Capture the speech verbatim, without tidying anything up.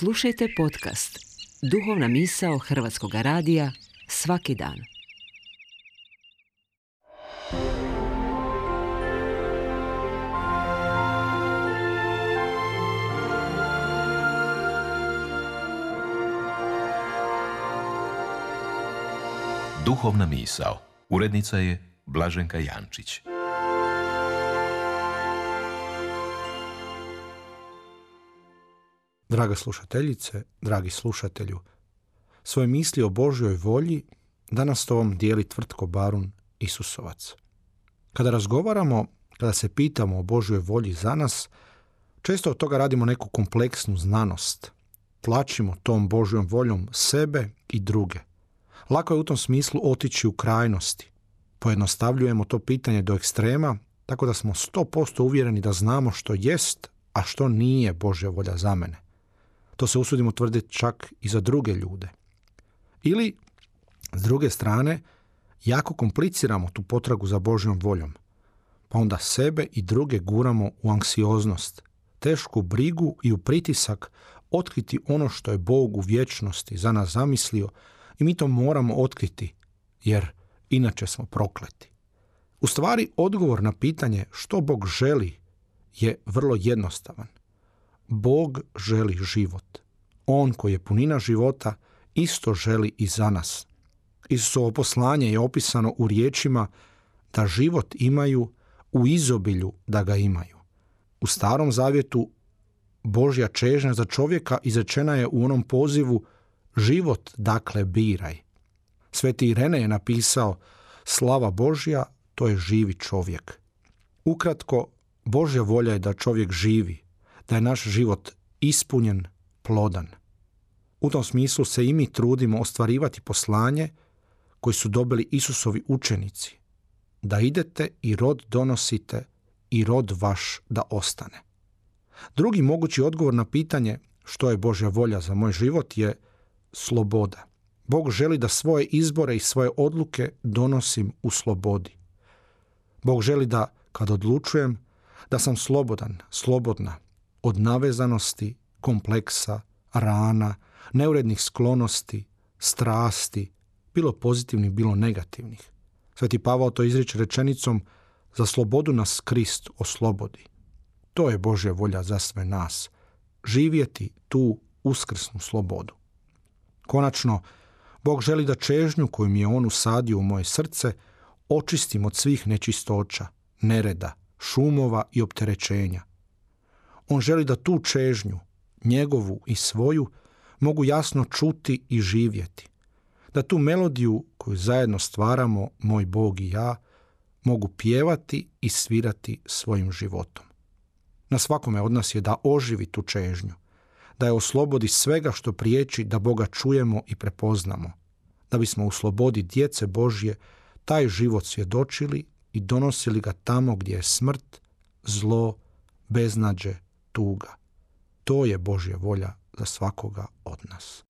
Slušajte podcast Duhovna misao Hrvatskog radija svaki dan. Duhovna misao. Urednica je Blaženka Jančić. Draga slušateljice, dragi slušatelju, svoje misli o Božjoj volji danas to vam dijeli Tvrtko Barun Isusovac. Kada razgovaramo, kada se pitamo o Božjoj volji za nas, često od toga radimo neku kompleksnu znanost. Tlačimo tom Božjom voljom sebe i druge. Lako je u tom smislu otići u krajnosti. Pojednostavljujemo to pitanje do ekstrema, tako da smo sto posto uvjereni da znamo što jest, a što nije Božja volja za mene. To se usudimo tvrditi čak i za druge ljude. Ili, s druge strane, jako kompliciramo tu potragu za Božjom voljom. Pa onda sebe i druge guramo u anksioznost, tešku brigu i u pritisak otkriti ono što je Bog u vječnosti za nas zamislio i mi to moramo otkriti, jer inače smo prokleti. U stvari, odgovor na pitanje što Bog želi je vrlo jednostavan. Bog želi život. On koji je punina života isto želi i za nas. Isusovo poslanje je opisano u riječima da život imaju u izobilju da ga imaju. U Starom zavjetu Božja čežnja za čovjeka izrečena je u onom pozivu život dakle biraj. Sveti Irene je napisao slava Božja, to je živi čovjek. Ukratko, Božja volja je da čovjek živi, da je naš život ispunjen, plodan. U tom smislu se i mi trudimo ostvarivati poslanje koji su dobili Isusovi učenici, da idete i rod donosite i rod vaš da ostane. Drugi mogući odgovor na pitanje što je Božja volja za moj život je sloboda. Bog želi da svoje izbore i svoje odluke donosim u slobodi. Bog želi da, kad odlučujem, da sam slobodan, slobodna od navezanosti, kompleksa, rana, neurednih sklonosti, strasti, bilo pozitivnih, bilo negativnih. Sveti Pavao to izriče rečenicom za slobodu nas Krist oslobodi. To je Božja volja za sve nas. Živjeti tu uskrsnu slobodu. Konačno, Bog želi da čežnju koju mi je On usadio u moje srce očistim od svih nečistoća, nereda, šumova i opterećenja. On želi da tu čežnju, njegovu i svoju, mogu jasno čuti i živjeti. Da tu melodiju koju zajedno stvaramo, moj Bog i ja, mogu pjevati i svirati svojim životom. Na svakome od nas je da oživi tu čežnju, da je oslobodi svega što priječi da Boga čujemo i prepoznamo, da bismo u slobodi djece Božje taj život svjedočili i donosili ga tamo gdje je smrt, zlo, beznađe, tuga. To je Božja volja za svakoga od nas.